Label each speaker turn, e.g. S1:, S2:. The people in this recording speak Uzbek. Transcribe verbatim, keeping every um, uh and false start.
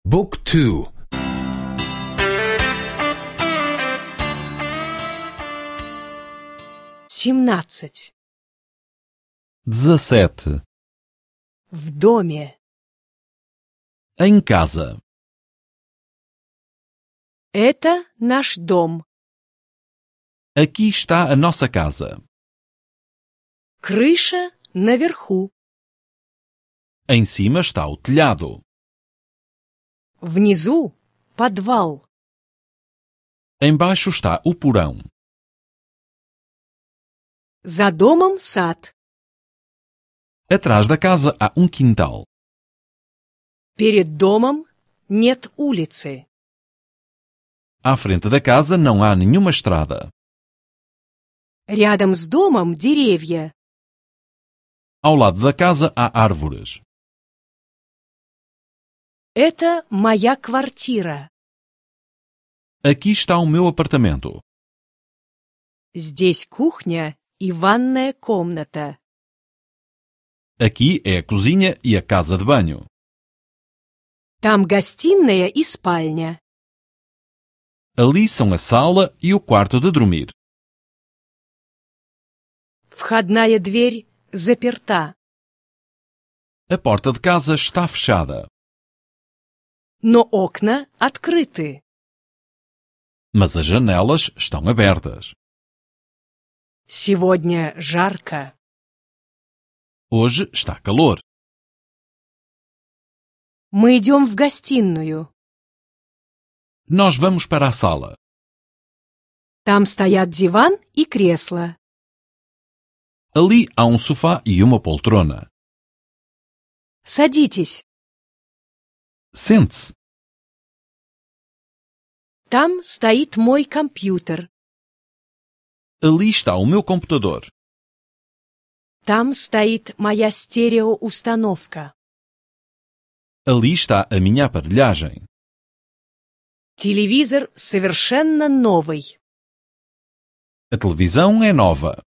S1: Book two.
S2: Семнадцать.
S3: Dezassete.
S2: В доме.
S3: Em casa.
S2: Это наш дом.
S3: Aqui está a nossa casa.
S2: Крыша наверху.
S3: Em cima está o telhado.
S2: Внизу подвал.
S3: Embaixo está o porão.
S2: За домом сад.
S3: Atrás da casa há um quintal.
S2: Перед домом нет улицы.
S3: À frente da casa não há nenhuma estrada.
S2: Рядом с домом деревья.
S3: Ao lado da casa há árvores.
S2: Это моя квартира.
S3: Aqui está o meu apartamento.
S2: Здесь кухня и ванная комната.
S3: Aqui é a cozinha e a casa de banho.
S2: Там гостиная и спальня.
S3: Ali são a sala e o quarto de dormir.
S2: Входная дверь заперта.
S3: A porta de casa está fechada.
S2: Но окна открыты.
S3: Mas as janelas estão abertas.
S2: Сегодня жарко.
S3: Hoje está calor.
S2: Мы идем в гостиную.
S3: Nós vamos para a sala.
S2: Там стоят диван и кресло.
S3: Ali há um sofá e uma poltrona.
S2: Садитесь.
S3: Sente-se.
S2: Там стоит мой компьютер.
S3: Ali está o meu computador.
S2: Там стоит моя стереоустановка.
S3: Ali está a minha aparelhagem.
S2: Телевизор совершенно новый.
S3: A televisão é nova.